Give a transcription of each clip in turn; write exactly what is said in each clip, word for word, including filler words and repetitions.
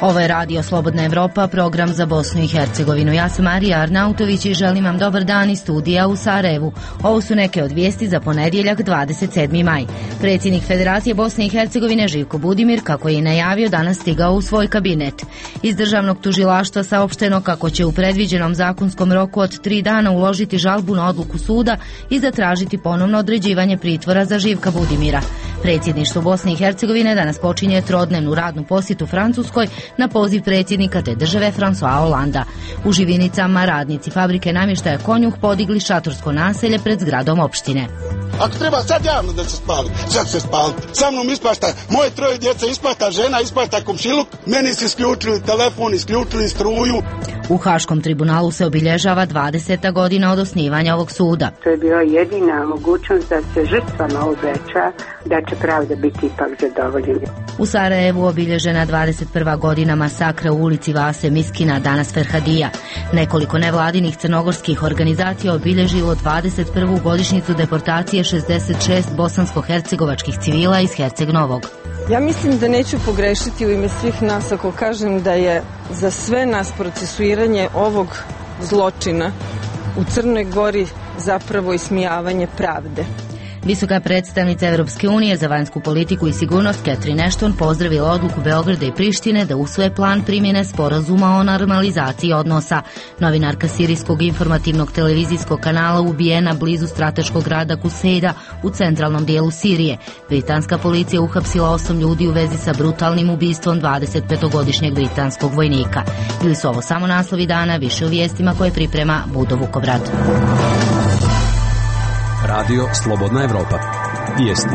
Ovo je Radio Slobodna Evropa, program za Bosnu i Hercegovinu. Ja sam Marija Arnautović i želim vam dobar dan iz studija u Sarajevu. Ovo su neke od vijesti za ponedjeljak dvadeset sedmi maj. Predsjednik Federacije Bosne i Hercegovine Živko Budimir, kako je i najavio, danas stigao u svoj kabinet. Iz državnog tužilaštva saopšteno kako će u predviđenom zakonskom roku od tri dana uložiti žalbu na odluku suda i zatražiti ponovno određivanje pritvora za Živka Budimira. Predsjedništvo Bosne i Hercegovine danas počinje trodnevnu radnu posjetu Francuskoj na poziv predsjednika te države François Hollanda. U Živinicama radnici fabrike namještaja Konjuh podigli šatorsko naselje pred zgradom opštine. Ako treba sad javno da se spali, sad se spali. Sa mnom ispašta, moje troje djece ispašta, žena ispašta komšiluk, meni se isključili telefon, isključili struju. U Haškom tribunalu se obilježava dvadeseta godina od osnivanja ovog suda. To je bila jedina mogućnost da se žrtvama obeća da će pravda biti ipak zadovoljena. U Sarajevu obilježena dvadeset prva godina masakra u ulici Vase Miskina, danas Ferhadija. Nekoliko nevladinih crnogorskih organizacija obilježilo dvadeset prvu godišnjicu deportacije šezdeset šest bosansko-hercegovačkih civila iz Herceg Novog. Ja mislim da neću pogrešiti u ime svih nas ako kažem da je za sve nas procesuiranje ovog zločina u Crnoj Gori zapravo ismijavanje pravde. Visoka predstavnica Europske unije za vanjsku politiku i sigurnost Catherine Ashton pozdravila odluku Beograda i Prištine da usvoje plan primjene sporazuma o normalizaciji odnosa. Novinarka sirijskog informativnog televizijskog kanala ubijena blizu strateškog grada Kusejda u centralnom dijelu Sirije. Britanska policija uhapsila osam ljudi u vezi sa brutalnim ubistvom dvadesetpetogodišnjeg britanskog vojnika. Bili su ovo samo naslovi dana, više u vijestima koje priprema Budo Vukobrad. Radio Slobodna Evropa. Vijesti.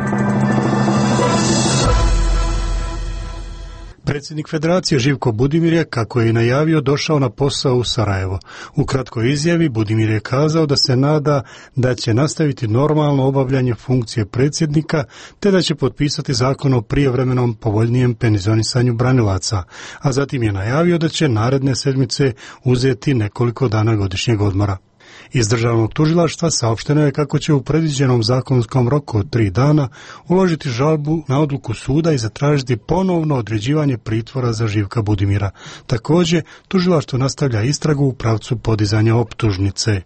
Predsjednik Federacije Živko Budimir je, kako je i najavio, došao na posao u Sarajevo. U kratkoj izjavi Budimir je kazao da se nada da će nastaviti normalno obavljanje funkcije predsjednika, te da će potpisati zakon o prijevremenom povoljnijem penzionisanju branilaca, a zatim je najavio da će naredne sedmice uzeti nekoliko dana godišnjeg odmora. Iz državnog tužilaštva saopšteno je kako će u predviđenom zakonskom roku od tri dana uložiti žalbu na odluku suda i zatražiti ponovno određivanje pritvora za Živka Budimira. Također, tužilaštvo nastavlja istragu u pravcu podizanja optužnice.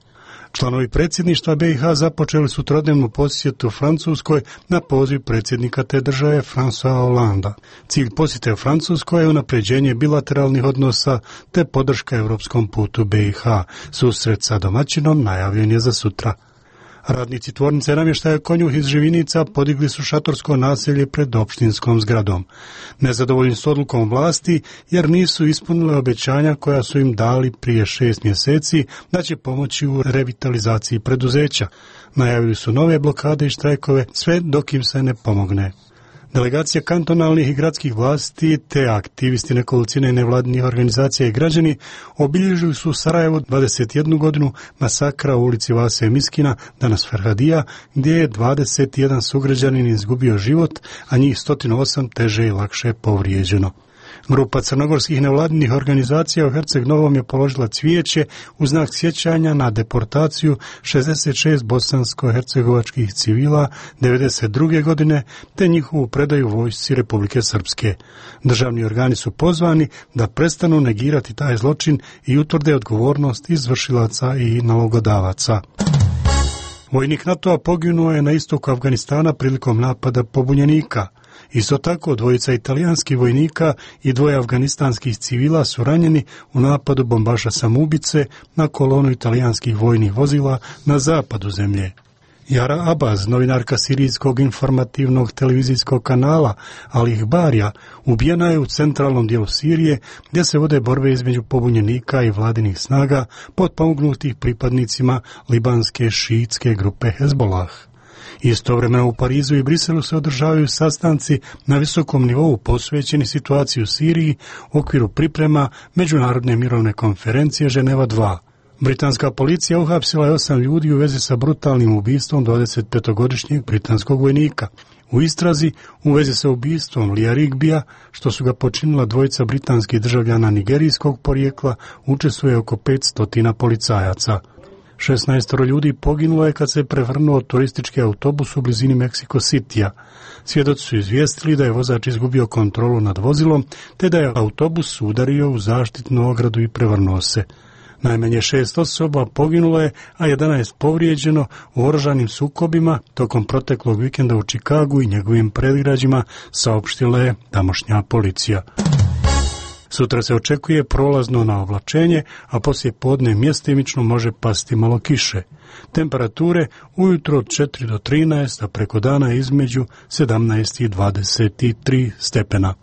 Članovi predsjedništva B i H započeli su trodnevnu posjetu Francuskoj na poziv predsjednika te države François Hollanda. Cilj posjete u Francuskoj je unapređenje bilateralnih odnosa te podrška europskom putu B i H. Susret sa domaćinom najavljen je za sutra. Radnici tvornice namještaja Konjuh iz Živinica podigli su šatorsko naselje pred opštinskom zgradom. Nezadovoljni s odlukom vlasti jer nisu ispunile obećanja koja su im dali prije šest mjeseci da će pomoći u revitalizaciji preduzeća. Najavili su nove blokade i štrajkove sve dok im se ne pomogne. Delegacija kantonalnih i gradskih vlasti te aktivisti nekolicine nevladinih organizacija i građani obilježili su u Sarajevu dvadeset jednu godinu masakra u ulici Vase Miskina, danas Ferhadija, gdje je dvadeset jedan sugrađanin izgubio život, a njih sto osam teže i lakše povrijeđeno. Grupa crnogorskih nevladinih organizacija u Herceg Novom je položila cvijeće u znak sjećanja na deportaciju šezdeset šest bosansko-hercegovačkih civila devedeset druge godine te njihovu predaju vojsci Republike Srpske. Državni organi su pozvani da prestanu negirati taj zločin i utvrde odgovornost izvršilaca i nalogodavaca. Vojnik NATO-a poginuo je na istoku Afganistana prilikom napada pobunjenika. Isto tako, dvojica italijanskih vojnika i dvoje afganistanskih civila su ranjeni u napadu bombaša samoubice na kolonu italijanskih vojnih vozila na zapadu zemlje. Jara Abaz, novinarka sirijskog informativnog televizijskog kanala Al Ihbarija, ubijena je u centralnom dijelu Sirije gdje se vode borbe između pobunjenika i vladinih snaga potpomognutih pripadnicima libanske šiitske grupe Hezbollah. Istovremeno u Parizu i Briselu se održavaju sastanci na visokom nivou posvećeni situaciji u Siriji u okviru priprema Međunarodne mirovne konferencije Ženeva dva. Britanska policija uhapsila je osam ljudi u vezi sa brutalnim ubistvom dvadesetpetogodišnjeg britanskog vojnika. U istrazi u vezi sa ubistvom Lija Rigbija, što su ga počinila dvojica britanskih državljana nigerijskog porijekla, učestvuje oko petsto policajaca. šesnaestoro ljudi poginulo je kad se prevrnuo turistički autobus u blizini Mexico Citya. Svjedoci su izvijestili da je vozač izgubio kontrolu nad vozilom, te da je autobus udario u zaštitnu ogradu i prevrnuo se. Najmanje šest osoba poginulo je, a jedanaest povrijeđeno u oružanim sukobima tokom proteklog vikenda u Čikagu i njegovim predgrađima, saopštila je tamošnja policija. Sutra se očekuje prolazno naoblačenje, a poslije podne mjestimično može pasti malo kiše. Temperature ujutro od četiri do trinaest, a preko dana između sedamnaest i dvadeset tri stepena.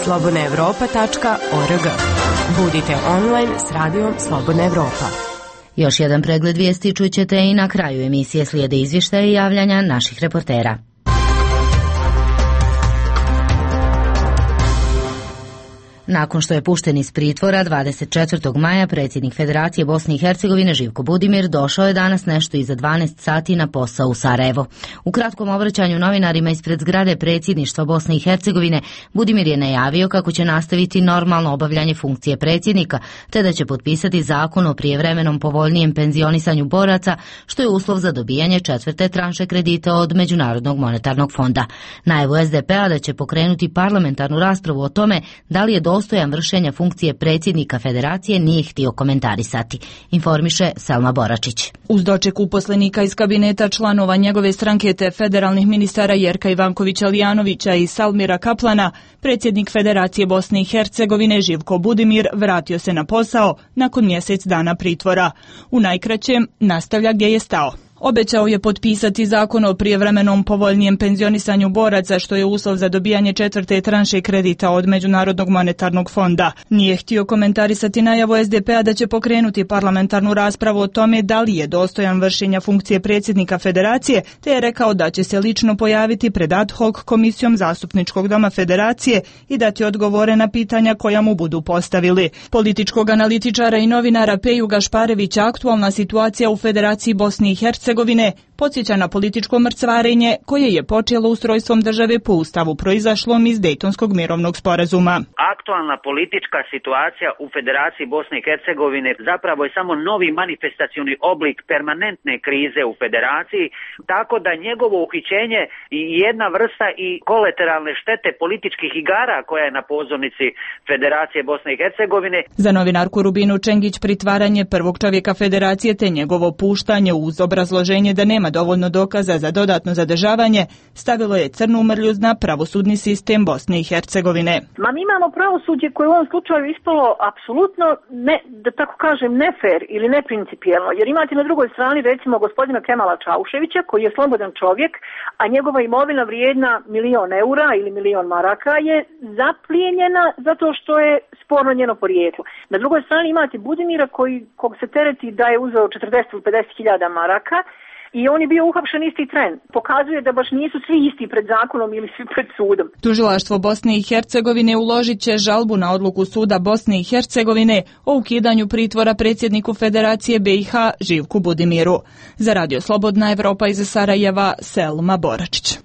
slobodna evropa tačka org. Budite online s radijom Slobodna Evropa. Još jedan pregled vijesti čućete i na kraju emisije, slijede izvještaje i javljanja naših reportera. Nakon što je pušten iz pritvora dvadeset četvrtog maja, predsjednik Federacije Bosne i Hercegovine Živko Budimir došao je danas nešto iza dvanaest sati na posao u Sarajevo. U kratkom obraćanju novinarima ispred zgrade predsjedništva Bosne i Hercegovine, Budimir je najavio kako će nastaviti normalno obavljanje funkcije predsjednika, te da će potpisati zakon o prijevremenom povoljnijem penzionisanju boraca, što je uslov za dobijanje četvrte tranše kredita od Međunarodnog monetarnog fonda. Najavu es de pe-a da će pokrenuti parlamentarnu raspravu o tome da li je dostojan vršenja funkcije predsjednika Federacije nije htio komentarisati, informiše Selma Boračić. Uz doček uposlenika iz kabineta članova njegove stranke te federalnih ministara Jerka Ivankovića Lijanovića i Salmira Kaplana, predsjednik Federacije Bosne i Hercegovine Živko Budimir vratio se na posao nakon mjesec dana pritvora. U najkraćem nastavlja gdje je stao. Obećao je potpisati zakon o prijevremenom povoljnijem penzionisanju boraca, što je uslov za dobijanje četvrte tranše kredita od Međunarodnog monetarnog fonda. Nije htio komentarisati najavu es de pe-a da će pokrenuti parlamentarnu raspravu o tome da li je dostojan vršenja funkcije predsjednika Federacije, te je rekao da će se lično pojaviti pred ad hoc komisijom Zastupničkog doma Federacije i dati odgovore na pitanja koja mu budu postavili. Političkog analitičara i novinara Peju Gašparevića aktualna situacija u Federaciji Bosne i Hercegovine podsjeća na političko mrcvarenje koje je počelo ustrojstvom države po ustavu proizašlom iz Dejtonskog mirovnog sporazuma. Aktualna politička situacija u Federaciji Bosne i Hercegovine zapravo je samo novi manifestacioni oblik permanentne krize u Federaciji, tako da njegovo uhićenje i jedna vrsta i kolateralne štete političkih igara koja je na pozornici Federacije Bosne i Hercegovine. Za novinarku Rubinu Čengić pritvaranje prvog čovjeka Federacije te njegovo puštanje uz obrazloženje da nema dovoljno dokaza za dodatno zadržavanje stavilo je crnu mrlju na pravosudni sistem Bosne i Hercegovine. Ma mi imamo pravosuđe koje u ovom slučaju ispalo apsolutno, ne, da tako kažem, nefer ili neprincipijelno, jer imate na drugoj strani recimo gospodina Kemala Čauševića koji je slobodan čovjek, a njegova imovina vrijedna milion eura ili milion maraka je zaplijenjena zato što je sporno njeno porijeklo. Na drugoj strani imate Budimira koji, kog se tereti da je uzeo četrdeset ili pedeset hiljada maraka, i on je bio uhapšen isti tren. Pokazuje da baš nisu svi isti pred zakonom ili svi pred sudom. Tužilaštvo Bosne i Hercegovine uložit će žalbu na odluku suda Bosne i Hercegovine o ukidanju pritvora predsjedniku Federacije be i ha Živku Budimiru. Za Radio Slobodna Evropa iz Sarajeva, Selma Boračić.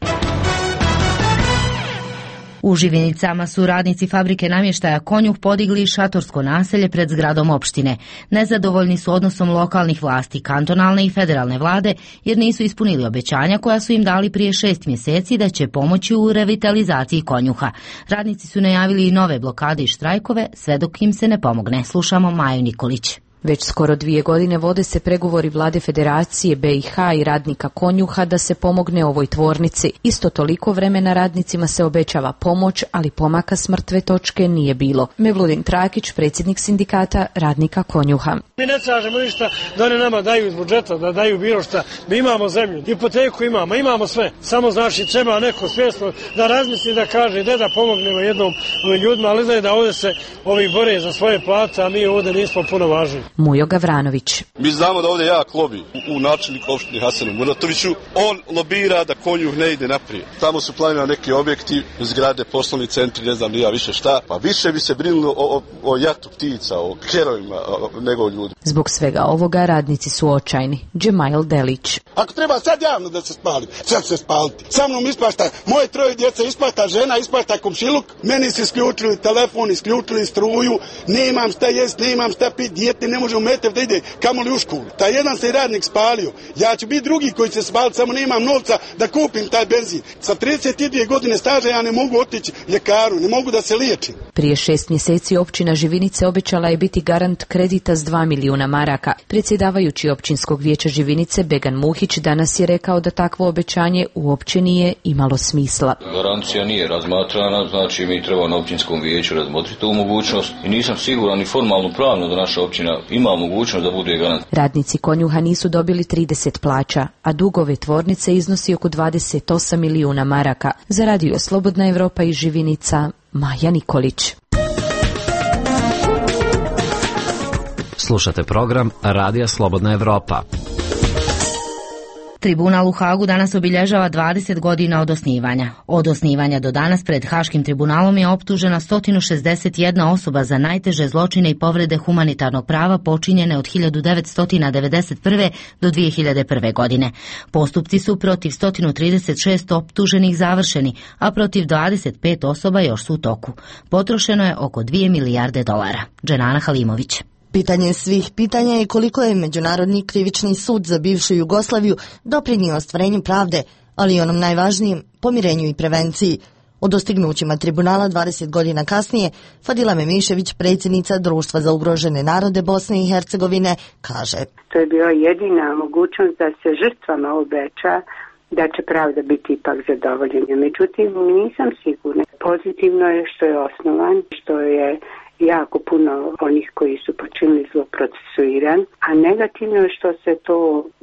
U Živinicama su radnici fabrike namještaja Konjuh podigli šatorsko naselje pred zgradom opštine. Nezadovoljni su odnosom lokalnih vlasti, kantonalne i federalne vlade, jer nisu ispunili obećanja koja su im dali prije šest mjeseci da će pomoći u revitalizaciji Konjuha. Radnici su najavili i nove blokade i štrajkove, sve dok im se ne pomogne. Slušamo Maju Nikolić. Već skoro dvije godine vode se pregovori vlade Federacije be i ha i radnika Konjuha da se pomogne ovoj tvornici. Isto toliko vremena radnicima se obećava pomoć, ali pomaka s mrtve točke nije bilo. Mevludin Trakić, predsjednik sindikata radnika Konjuha. Mi ne tražimo ništa da oni nama daju iz budžeta, da daju bilo šta. Mi imamo zemlju, hipoteku imamo, imamo sve. Samo znači treba neko svjesno da razmisli, da kaže da da pomognemo jednom ovim ljudima, ali da je da ovdje se ovi bore za svoje plate, a mi ovdje nismo puno važni. Mujo Gavranović. Mi znamo da ovdje jak lobi u načelniku opštine Hasanu Muratoviću. On lobira da Konjuh ne ide naprijed. Tamo su planirani neki objekti, zgrade, poslovni centri, ne znam ja više šta. Pa više bi se brinulo o, o, o jatu ptica, o kerovima nego o ljudi. Zbog svega ovoga radnici su očajni. Džemail Delić. Ako treba sad javno da se spalim, sad se spaliti. Sa mnom ispašta, moje troje djece ispašta, žena ispašta komšiluk, meni se isključili telefon, isključili struju, nemam šta jest, nemam šta pit, dijete ne može u Metev da ide kamoli u školu. Taj jedan se radnik spalio, ja ću biti drugi koji će spaliti, samo nemam novca da kupim taj benzin. Sa trideset dvije godine staža ja ne mogu otići ljekaru, ne mogu da se liječim. Prije šest mjeseci općina Živinice obećala je biti garant kredita s dva milijuna maraka. Predsjedavajući općinskog vijeća Živinice Began Muhić danas je rekao da takvo obećanje uopće nije imalo smisla. Garancija nije razmatrana, znači mi treba na općinskom vijeću razmotriti tu mogućnost i nisam siguran ni formalno pravno da naša općina ima mogućnost da bude garant. Radnici Konjuha nisu dobili trideset plaća, a dugove tvornice iznosi oko dvadeset osam milijuna maraka. Za radio Slobodna Evropa iz Živinica, Maja Nikolić. Slušate program Radija Slobodna Evropa. Tribunal u Hagu danas obilježava dvadeset godina od osnivanja. Od osnivanja do danas pred Haškim tribunalom je optužena sto šezdeset jedna osoba za najteže zločine i povrede humanitarnog prava počinjene od hiljadu devetsto devedeset prve do dvije hiljade prve. godine. Postupci su protiv sto trideset šest optuženih završeni, a protiv dvadeset pet osoba još su u toku. Potrošeno je oko dvije milijarde dolara. Dženana Halimović. Pitanje svih pitanja je koliko je Međunarodni krivični sud za bivšu Jugoslaviju doprinio ostvarenju pravde, ali i onom najvažnijem, pomirenju i prevenciji. O dostignućima tribunala dvadeset godina kasnije, Fadila Memišević, predsjednica Društva za ugrožene narode Bosne i Hercegovine, kaže: To je bila jedina mogućnost da se žrtvama obeća da će pravda biti ipak zadovoljena. Međutim, nisam sigurna. Pozitivno je što je osnovan, što je jako puno onih koji su počinili zlo procesuiran, a negativno je što se to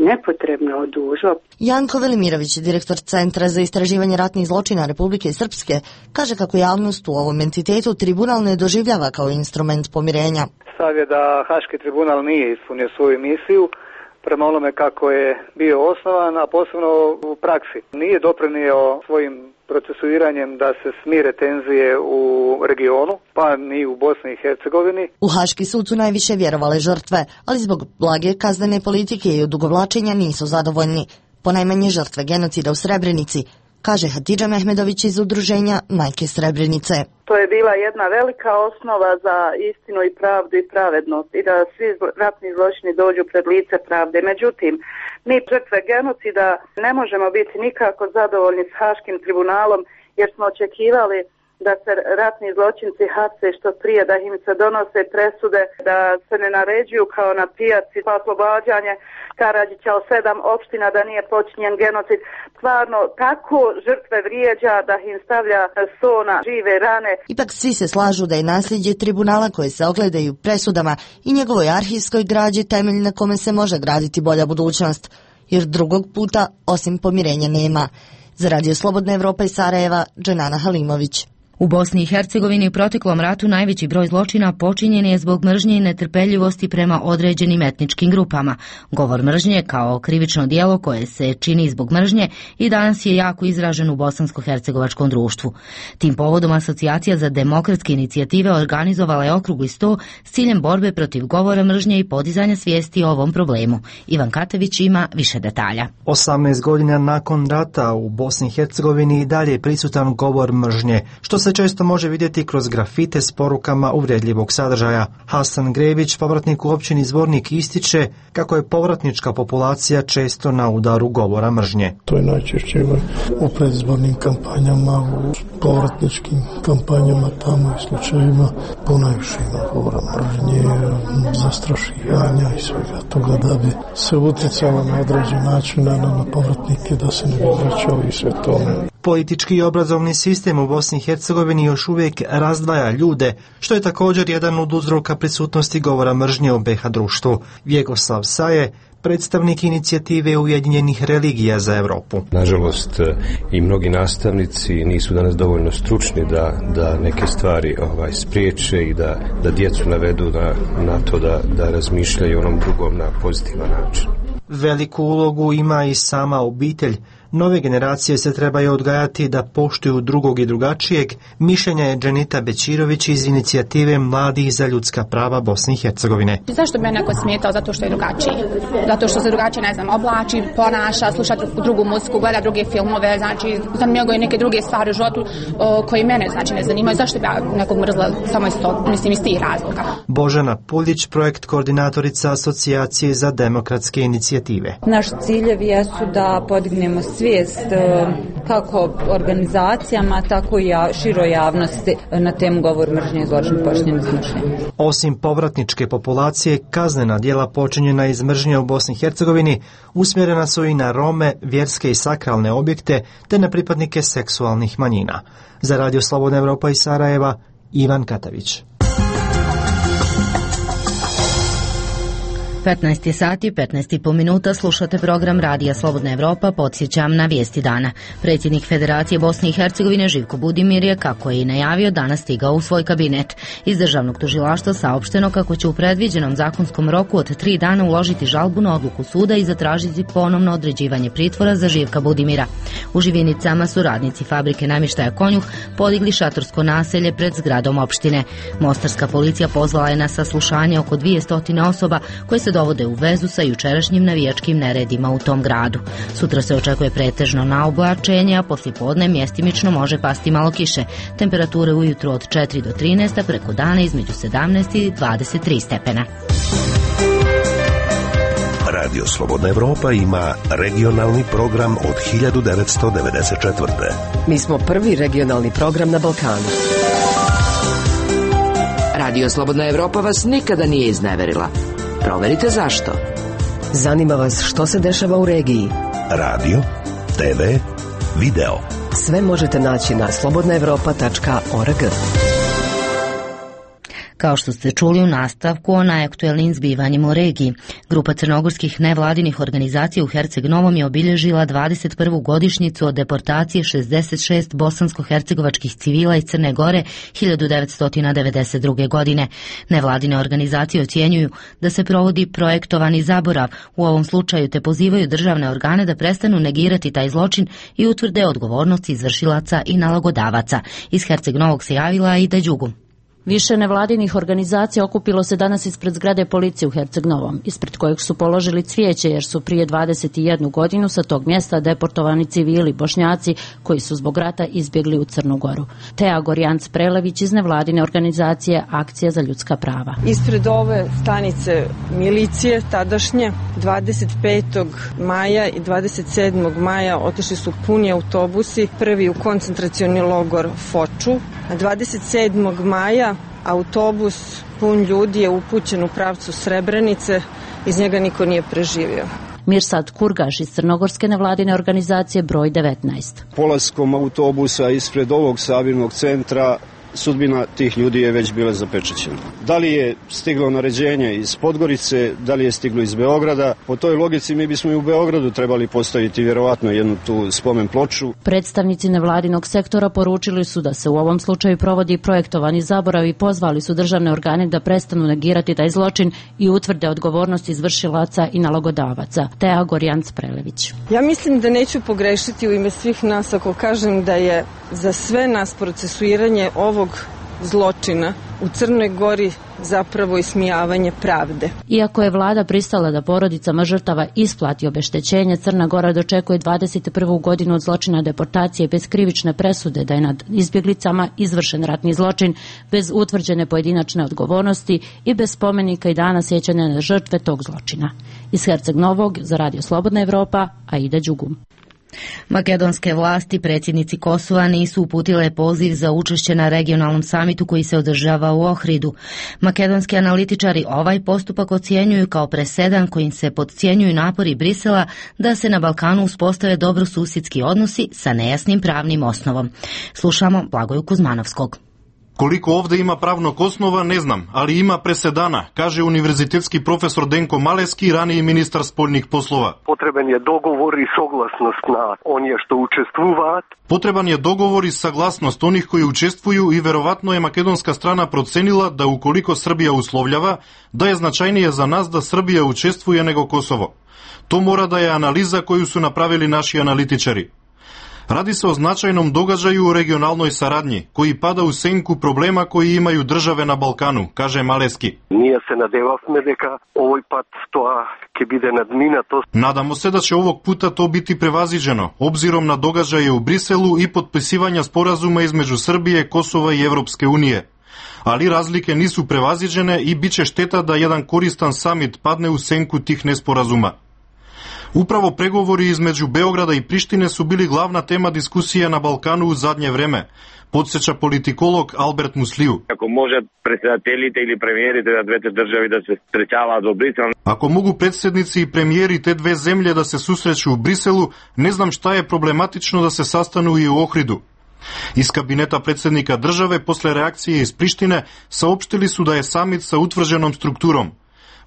nepotrebno odužilo. Janko Velimirović, direktor Centra za istraživanje ratnih zločina Republike Srpske, kaže kako javnost u ovom entitetu tribunal ne doživljava kao instrument pomirenja. Stav je da Haški tribunal nije ispunio svoju misiju prema onome kako je bio osnovan, a posebno u praksi. Nije doprinio svojim procesuiranjem da se smire tenzije u regionu, pa ni u Bosni i Hercegovini. U Haški sud su najviše vjerovale žrtve, ali zbog blage kaznene politike i odugovlačenja nisu zadovoljni. Ponajmanje žrtve genocida u Srebrenici, kaže Hatidža Mehmedović iz udruženja Majke Srebrenice. To je bila jedna velika osnova za istinu i pravdu i pravednost i da svi ratni zločini dođu pred lice pravde. Međutim, mi žrtve genocida ne možemo biti nikako zadovoljni s Haškim tribunalom jer smo očekivali da se ratni zločinci hapse što prije, da im se donose presude, da se ne naređuju kao na pijaci pa oslobađanje Karadžića od sedam opština da nije počinjen genocid. Stvarno, tako žrtve vrijeđa da im stavlja so na žive rane. Ipak svi se slažu da je nasljeđe tribunala koje se ogledaju presudama i njegovoj arhivskoj građi temelj na kome se može graditi bolja budućnost, jer drugog puta osim pomirenja nema. Za Radio Slobodna Evropa iz Sarajeva, Dženana Halimović. U Bosni i Hercegovini u proteklom ratu najveći broj zločina počinjen je zbog mržnje i netrpeljivosti prema određenim etničkim grupama. Govor mržnje kao krivično djelo koje se čini zbog mržnje i danas je jako izražen u bosansko-hercegovačkom društvu. Tim povodom Asocijacija za demokratske inicijative organizovala je okrugli sto s ciljem borbe protiv govora mržnje i podizanja svijesti o ovom problemu. Ivan Katević ima više detalja. osamnaest godina nakon rata u Bosni i Hercegovini i dalje je prisutan govor mržnje, što se često može vidjeti kroz grafite s porukama uvredljivog sadržaja. Hasan Grebić, povratnik u općini Zvornik, ističe kako je povratnička populacija često na udaru govora mržnje. To je najčešće u predizbornim kampanjama, u povratničkim kampanjama, tamo i slučajima ponajviše ima govora mržnje, zastrašivanja i svega toga da bi se utjecalo na određen način na, na povratnike da se ne bi vraćao i sve tome. Politički i obrazovni sistem u Bosni i Hercegovini još uvijek razdvaja ljude, što je također jedan od uzroka prisutnosti govora mržnje u be ha društvu. Vjekoslav Saje, predstavnik inicijative Ujedinjenih religija za Europu. Nažalost, i mnogi nastavnici nisu danas dovoljno stručni da, da neke stvari ovaj, spriječe i da, da djecu navedu na, na to da, da razmišljaju onom drugom na pozitivan način. Veliku ulogu ima i sama obitelj. Nove generacije se trebaju odgajati da poštuju drugog i drugačijeg, mišljenja je Dženita Bećirović iz inicijative Mladih za ljudska prava Bosne i Hercegovine. Zašto bi me neko smetao zato što je drugačiji? Zato što se drugačije, ne znam, oblači, ponaša, sluša drugu muziku, gleda druge filmove, znači zanimaju i neke druge stvari u životu o, koji mene znači ne zanimaju. Zašto bi ja nekog mrzla samo iz tog, mislim, iz tih razloga? Božana Puljić, projekt koordinatorica Asocijacije za demokratske inicijative. Naš ciljevi jesu da podignemo svijest kako organizacijama, tako i široj javnosti na temu govor mržnje i zločin počinjen iz mržnje. Osim povratničke populacije, kaznena djela počinjena iz mržnje u Bosni i Hercegovini usmjerena su i na Rome, vjerske i sakralne objekte, te na pripadnike seksualnih manjina. Za Radio Slobodna Evropa iz Sarajeva, Ivan Katavić. petnaest je sati, petnaest i po minuta, slušate program Radija Slobodna Evropa, podsjećam na vijesti dana. Predsjednik Federacije Bosne i Hercegovine Živko Budimir je, kako je i najavio, danas stigao u svoj kabinet. Iz državnog tužilaštva saopšteno kako će u predviđenom zakonskom roku od tri dana uložiti žalbu na odluku suda i zatražiti ponovno određivanje pritvora za Živka Budimira. U Živinicama su radnici fabrike namještaja Konjuh podigli šatorsko naselje pred zgradom opštine. Mostarska policija pozvala je na saslušanje oko dvjesto osoba koje se dovode u vezu sa jučerašnjim navijačkim neredima u tom gradu. Sutra se očekuje pretežno na oblačenje, a poslijepodne mjestimično može pasti malo kiše. Temperature ujutro od četiri do trinaest, a preko dana između sedamnaest i dvadeset tri stepena. Radio Slobodna Evropa ima regionalni program od hiljadu devetsto devedeset četvrte. Mi smo prvi regionalni program na Balkanu. Radio Slobodna Evropa vas nikada nije izneverila. Proverite zašto. Zanima vas što se dešava u regiji. Radio, te ve, video. Sve možete naći na slobodna evropa tačka org. Kao što ste čuli u nastavku o najaktuelnijim zbivanjima u regiji, grupa crnogorskih nevladinih organizacija u Herceg Novom je obilježila dvadeset prvu godišnjicu od deportacije šezdeset šest bosansko-hercegovačkih civila iz Crne Gore hiljadu devetsto devedeset druge. godine. Nevladine organizacije ocjenjuju da se provodi projektovani zaborav u ovom slučaju, te pozivaju državne organe da prestanu negirati taj zločin i utvrde odgovornost izvršilaca i nalogodavaca. Iz Herceg Novog se javila i Dađugu. Više nevladinih organizacija okupilo se danas ispred zgrade policije u Herceg Novom, ispred kojeg su položili cvijeće jer su prije dvadeset jednu godinu sa tog mjesta deportovani civili Bošnjaci koji su zbog rata izbjegli u Crnu Goru. Teja Gorjanc Prelević iz nevladine organizacije Akcija za ljudska prava. Ispred ove stanice milicije tadašnje dvadeset petog maja i dvadeset sedmog maja otišli su puni autobusi, prvi u koncentracioni logor Foču, a dvadeset sedmog maja autobus pun ljudi je upućen u pravcu Srebrenice, iz njega niko nije preživio. Mirsad Kurgaš iz crnogorske nevladine organizacije broj devetnaest. Polaskom autobusa ispred ovog sabirnog centra sudbina tih ljudi je već bila zapečaćena. Da li je stiglo naređenje iz Podgorice, da li je stiglo iz Beograda? Po toj logici mi bismo i u Beogradu trebali postaviti vjerovatno jednu tu spomen ploču. Predstavnici nevladinog sektora poručili su da se u ovom slučaju provodi projektovani zaborav i pozvali su državne organe da prestanu negirati taj zločin i utvrde odgovornost izvršilaca i nalogodavaca. Teja Gorjanc Prelević. Ja mislim da neću pogrešiti u ime svih nas ako kažem da je za sve nas procesuiranje ovog zločina u Crnoj Gori zapravo ismijavanje pravde. Iako je vlada pristala da porodicama žrtava isplati obeštećenje, Crna Gora dočekuje dvadeset prvu godinu od zločina deportacije bez krivične presude da je nad izbjeglicama izvršen ratni zločin bez utvrđene pojedinačne odgovornosti i bez spomenika i dana sjećanja na žrtve tog zločina. Iz Herceg Novog za Radio Slobodna Evropa, Aida Đugum. Makedonske vlasti predsjednici Kosova nisu uputile poziv za učešće na regionalnom samitu koji se održava u Ohridu. Makedonski analitičari ovaj postupak ocjenjuju kao presedan kojim se podcjenjuju napori Brisela da se na Balkanu uspostave dobrosusjedski odnosi sa nejasnim pravnim osnovom. Slušamo Blagoju Kuzmanovskog. Koliko ovdje ima pravnog osnova, ne znam, ali ima presedana, kaže univerzitetski profesor Denko Maleski, raniji ministar spoljnih poslova. Potreban je dogovor i saglasnost na onje što učestvuvat. Potreban je dogovor i saglasnost onih koji učestvuju i verovatno je makedonska strana procenila da ukoliko Srbija uslovljava, da je značajnije za nas da Srbija učestvuje nego Kosovo. To mora da je analiza koju su napravili naši analitičari. Radi se o značajnom događaju u regionalnoj saradnji, koji pada u senku problema koji imaju države na Balkanu, kaže Maleski. Ние се надевавме дека овој пат тоа ќе биде надминато. Nadamo se da će ovog puta to biti prevaziđeno, obzirom na događaje u Briselu i potpisivanja sporazuma između Srbije, Kosova i Evropske unije. Ali razlike nisu prevaziđene i bit će šteta da jedan koristan samit padne u senku tih nesporazuma. Upravo pregovori između Beograda i Prištine su bili glavna tema diskusije na Balkanu u zadnje vreme, podsjeća politikolog Albert Musliju. Ako može predsjedateljite ili premijerite da dvete državi da se srećava do Brisela. Ako mogu predsjednici i premijeri te dve zemlje da se susreću u Briselu, ne znam šta je problematično da se sastanu i u Ohridu. Iz kabineta predsjednika države posle reakcije iz Prištine saopštili su da je samit sa utvrđenom strukturom.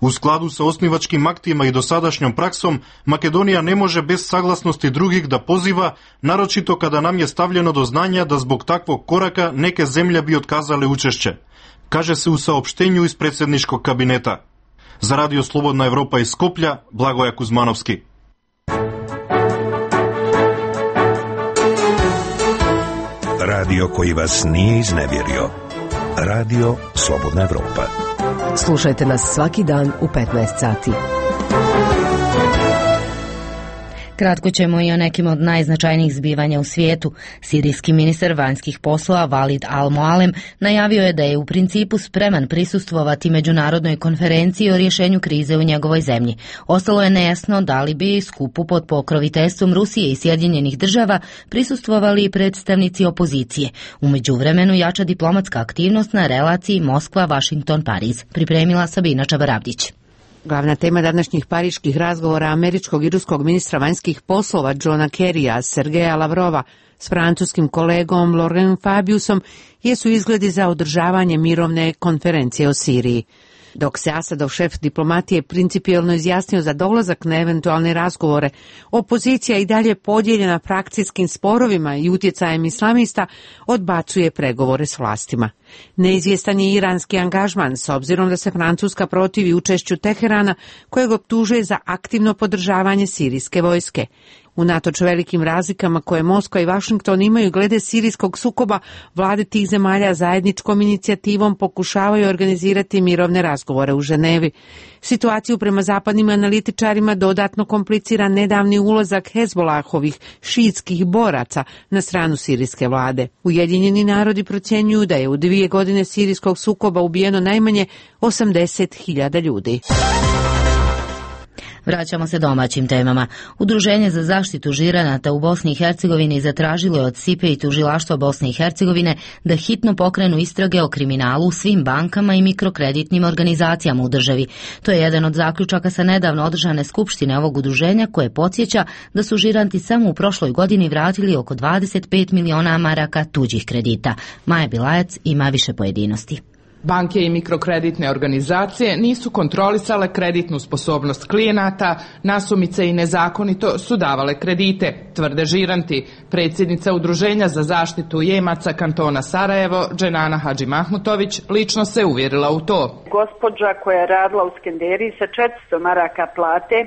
U skladu sa osnivačkim aktima i dosadašnjom praksom, Makedonija ne može bez saglasnosti drugih da poziva, naročito kada nam je stavljeno do znanja da zbog takvog koraka neke zemlje bi otkazale učešće, kaže se u saopštenju iz predsjedničkog kabineta. Za Radio Slobodna Evropa iz Skoplja, Blagoja Kuzmanovski. Radio koji vas nije iznevjerio. Radio Slobodna Evropa. Slušajte nas svaki dan u petnaest sati. Kratko ćemo i o nekim od najznačajnijih zbivanja u svijetu. Sirijski ministar vanjskih poslova Walid al-Mualem najavio je da je u principu spreman prisustvovati međunarodnoj konferenciji o rješenju krize u njegovoj zemlji. Ostalo je nejasno da li bi skupu pod pokroviteljstvom Rusije i Sjedinjenih država prisustvovali i predstavnici opozicije. U međuvremenu jača diplomatska aktivnost na relaciji Moskva-Vašington-Pariz. Pripremila Sabina Čabarabdić. Glavna tema današnjih pariških razgovora američkog i ruskog ministra vanjskih poslova Johna Kerrya, Sergeja Lavrova, s francuskim kolegom Laurent Fabiusom jesu izgledi za održavanje mirovne konferencije o Siriji. Dok se Asadov šef diplomatije principijelno izjasnio za dolazak na eventualne razgovore, opozicija i dalje podijeljena frakcijskim sporovima i utjecajem islamista odbacuje pregovore s vlastima. Neizvjestan je iranski angažman, s obzirom da se Francuska protivi učešću Teherana, kojeg optužuje za aktivno podržavanje sirijske vojske. Unatoč velikim razlikama koje Moskva i Washington imaju glede sirijskog sukoba, vlade tih zemalja zajedničkom inicijativom pokušavaju organizirati mirovne razgovore u Ženevi. Situaciju prema zapadnim analitičarima dodatno komplicira nedavni ulazak Hezbolahovih šiitskih boraca na stranu sirijske vlade. Ujedinjeni narodi procjenjuju da je u dvije godine sirijskog sukoba ubijeno najmanje osamdeset hiljada ljudi. Vraćamo se domaćim temama. Udruženje za zaštitu žiranata u Bosni i Hercegovini zatražilo je od S I P E i tužilaštva Bosne i Hercegovine da hitno pokrenu istrage o kriminalu u svim bankama i mikrokreditnim organizacijama u državi. To je jedan od zaključaka sa nedavno održane skupštine ovog udruženja, koje podsjeća da su žiranti samo u prošloj godini vratili oko dvadeset pet miliona maraka tuđih kredita. Maja Bilajac ima više pojedinosti. Banke i mikrokreditne organizacije nisu kontrolisale kreditnu sposobnost klijenata, nasumice i nezakonito su davale kredite, tvrde žiranti. Predsjednica Udruženja za zaštitu jemaca kantona Sarajevo, Dženana Hadžimahmutović, lično se uvjerila u to. Gospođa koja je radila u Skenderiji sa četiristo maraka plate,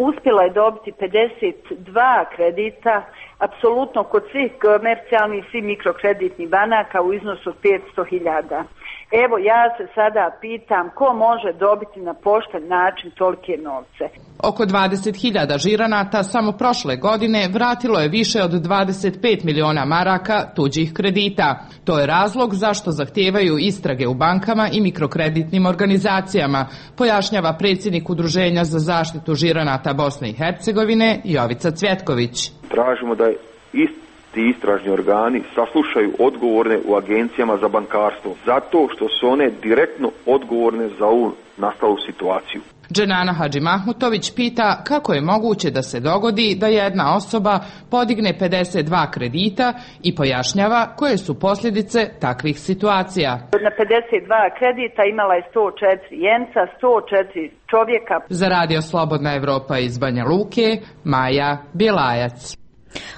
uspjela je dobiti pedeset dva kredita, apsolutno kod svih komercijalnih i svih mikrokreditnih banaka u iznosu od petsto hiljada. Evo, ja se sada pitam ko može dobiti na pošten način tolike novce. Oko dvadeset hiljada žiranata samo prošle godine vratilo je više od dvadeset pet miliona maraka tuđih kredita. To je razlog zašto zahtijevaju istrage u bankama i mikrokreditnim organizacijama, pojašnjava predsjednik Udruženja za zaštitu žiranata Bosne i Hercegovine Jovica Cvjetković. Tražimo da ist ti istražni organi saslušaju odgovorne u agencijama za bankarstvo, zato što su one direktno odgovorne za ovu nastalu situaciju. Dženana Hadžimahmutović pita kako je moguće da se dogodi da jedna osoba podigne pedeset dva kredita i pojašnjava koje su posljedice takvih situacija. Na pedeset dva kredita imala je sto četiri jenca, sto četiri čovjeka. Za Radio Slobodna Evropa iz Banja Luke, Maja Bjelajac.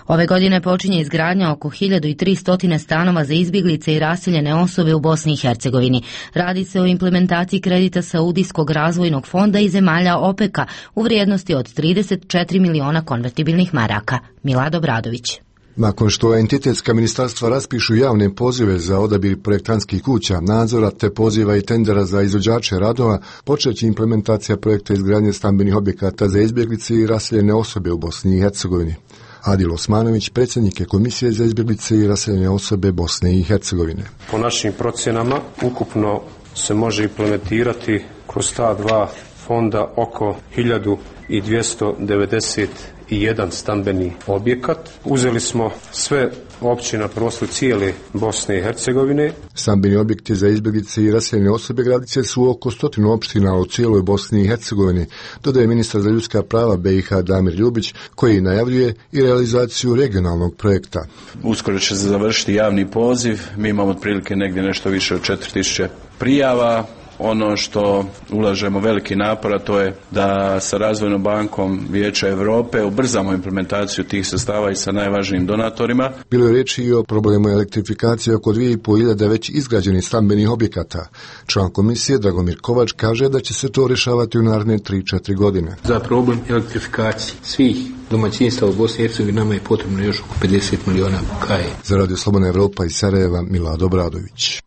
Ove godine počinje izgradnja oko hiljadu tristo stanova za izbjeglice i raseljene osobe u Bosni i Hercegovini. Radi se o implementaciji kredita Saudijskog razvojnog fonda i zemalja OPEC-a u vrijednosti od trideset četiri miliona konvertibilnih maraka. Milado Bradović. Nakon što entitetska ministarstva raspišu javne pozive za odabir projektantskih kuća, nadzora te poziva i tendera za izvođače radova, počeće implementacija projekta izgradnje stambenih objekata za izbjeglice i raseljene osobe u Bosni i Hercegovini. Adil Osmanović, predsjednik je Komisije za izbjeglice i raseljene osobe Bosne i Hercegovine. Po našim procjenama ukupno se može implementirati kroz ta dva fonda oko hiljadu dvjesto devedeset jedan stambeni objekat. Uzeli smo sve općine na prostoru cijele Bosne i Hercegovine. Stambeni objekti za izbjeglice i raseljene osobe gradit će su oko stotinu opština u cijeloj Bosni i Hercegovini, dodaje ministar za ljudska prava B i H Damir Ljubić, koji najavljuje i realizaciju regionalnog projekta. Uskoro će se završiti javni poziv, mi imamo otprilike negdje nešto više od četiri tisuće prijava. Ono što ulažemo veliki napor, a to je da sa Razvojnom bankom Vijeća Europe ubrzamo implementaciju tih sredstava i sa najvažnijim donatorima. Bilo je riječi i o problemu elektrifikacije oko dvije i pol hiljade već izgrađenih stambenih objekata. Član komisije Dragomir Kovač kaže da će se to rješavati u naredne tri do četiri godine. Za problem elektrifikacije svih domaćinstva u Bosni i Hercegovini nama je potrebno još oko pedeset miliona kaje. Za Radio Slobodna Evropa iz Sarajeva, Milado Bradović.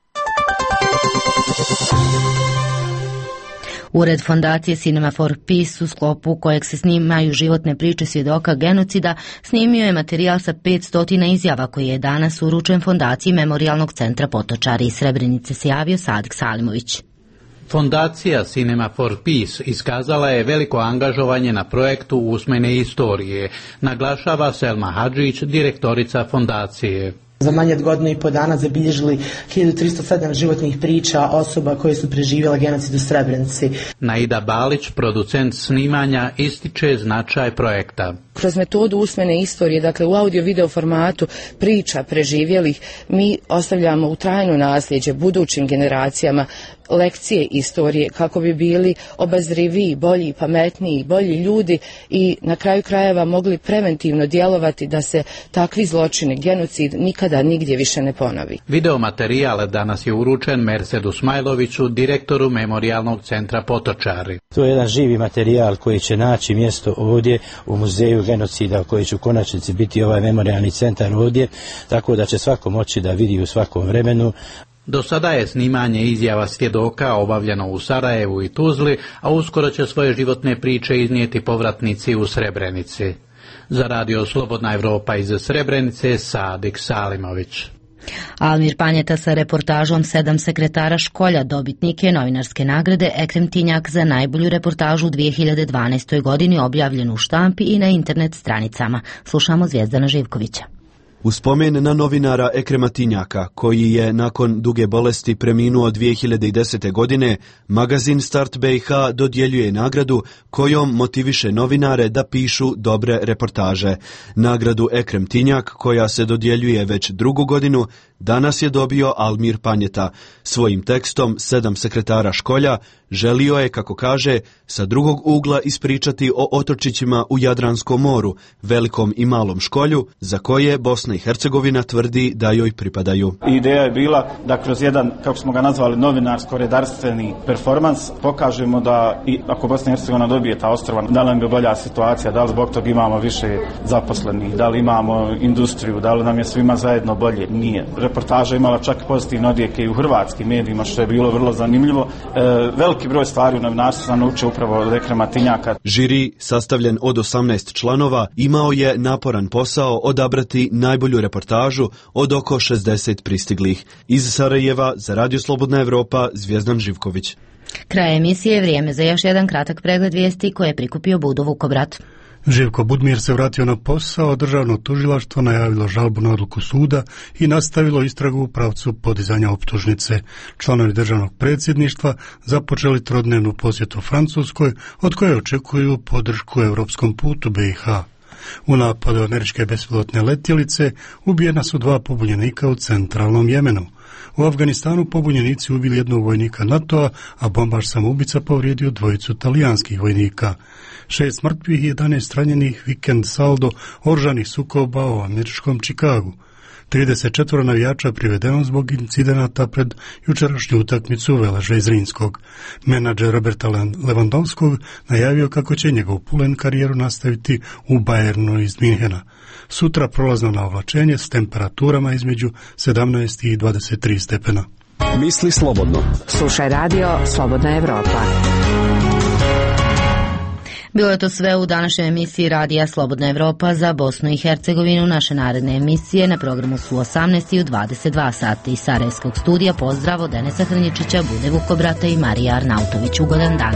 Ured fondacije Cinema for Peace, u sklopu kojeg se snimaju životne priče svjedoka genocida, snimio je materijal sa petsto izjava koji je danas uručen fondaciji Memorijalnog centra Potočari. Iz Srebrenice se javio Sadik Salimović. Fondacija Cinema for Peace iskazala je veliko angažovanje na projektu usmene istorije, naglašava Selma Hadžić, direktorica fondacije. Za manje od godinu i po dana zabilježili hiljadu tristo sedam životnih priča osoba koje su preživjele genocid u Srebrenici. Naida Balić, producent snimanja, ističe značaj projekta. Kroz metodu usmene istorije, dakle u audio-video formatu priča preživjelih, mi ostavljamo u trajno nasljeđe budućim generacijama lekcije istorije kako bi bili obazriviji, bolji, pametniji, bolji ljudi i na kraju krajeva mogli preventivno djelovati da se takvi zločini, genocid nikada nigdje više ne ponovi. Video materijal danas je uručen Mercedu Smajloviću, direktoru Memorijalnog centra Potočari. To je jedan živi materijal koji će naći mjesto ovdje u muzeju genocida, koji će u konačnici biti ovaj memorijalni centar ovdje, tako da će svako moći da vidi u svakom vremenu. Do sada je snimanje izjava svjedoka obavljeno u Sarajevu i Tuzli, a uskoro će svoje životne priče iznijeti povratnici u Srebrenici. Za Radio Slobodna Evropa iz Srebrenice, Sadik Salimović. Almir Panjeta sa reportažom Sedam sekretara školja dobitnik je novinarske nagrade Ekrem Tinjak za najbolju reportažu u dvije hiljade dvanaestoj. godini, objavljenu u štampi i na internet stranicama. Slušamo Zvijezdana Živkovića. U spomen na novinara Ekrema Tinjaka, koji je nakon duge bolesti preminuo dvije hiljade desete. godine, magazin Start B i H dodjeljuje nagradu kojom motiviše novinare da pišu dobre reportaže. Nagradu Ekrem Tinjak, koja se dodjeljuje već drugu godinu, danas je dobio Almir Panjeta. Svojim tekstom Sedam sekretara školja želio je, kako kaže, sa drugog ugla ispričati o otočićima u Jadranskom moru, velikom i malom školju, za koje Bosna i Hercegovina tvrdi da joj pripadaju. Ideja je bila da kroz jedan, kako smo ga nazvali, novinarsko-redarstveni performans pokažemo da i ako Bosna i Hercegovina dobije ta ostrva, da li nam je bolja situacija, da li zbog toga imamo više zaposlenih, da li imamo industriju, da li nam je svima zajedno bolje. Nije. Reportaža imala čak pozitivne odjeke i u hrvatskim medijima, što je bilo vrlo zanimljivo. E, veliki broj stvari u novinarstvu sam naučio upravo od Ekrema Tinjaka. Žiri, sastavljen od osamnaest članova, imao je naporan posao odabrati najbolju reportažu od oko šezdeset pristiglih. Iz Sarajeva za Radio Slobodna Evropa, Zvijezdan Živković. Kraj emisije, vrijeme za još jedan kratak pregled vijesti koje je prikupio Budo Vukobrat. Živko Budmir se vratio na posao, državno tužilaštvo najavilo žalbu na odluku suda i nastavilo istragu u pravcu podizanja optužnice. Članovi državnog predsjedništva započeli trodnevnu posjetu Francuskoj, od koje očekuju podršku europskom putu B i H. U napadu američke bespilotne letjelice ubijena su dva pobunjenika u centralnom Jemenu. U Afganistanu pobunjenici ubili jednog vojnika NATO-a, a bombaš samoubica povrijedio dvojicu talijanskih vojnika. Šest mrtvih i jedanaest ranjenih, vikend saldo oružanih sukoba u američkom Čikagu. trideset četiri navijača privedeno zbog incidenata pred jučerašnju utakmicu Veleža iz Rinskog. Menadžer Roberta Lewandowskog najavio kako će njegov pulen karijeru nastaviti u Bayernu iz Minhena. Sutra prolazno na ovlačenje s temperaturama između sedamnaest i dvadeset tri stepena. Misli slobodno. Slušaj radio Slobodna Evropa. Bilo je to sve u današnjoj emisiji Radija Slobodna Evropa za Bosnu i Hercegovinu. Naše naredne emisije na programu su u osamnaest i u dvadeset dva sata iz Sarajevskog studija. Pozdrav od Denesa Hrnjičića, Bude Vukobrata i Marija Arnautović. Ugodan dan.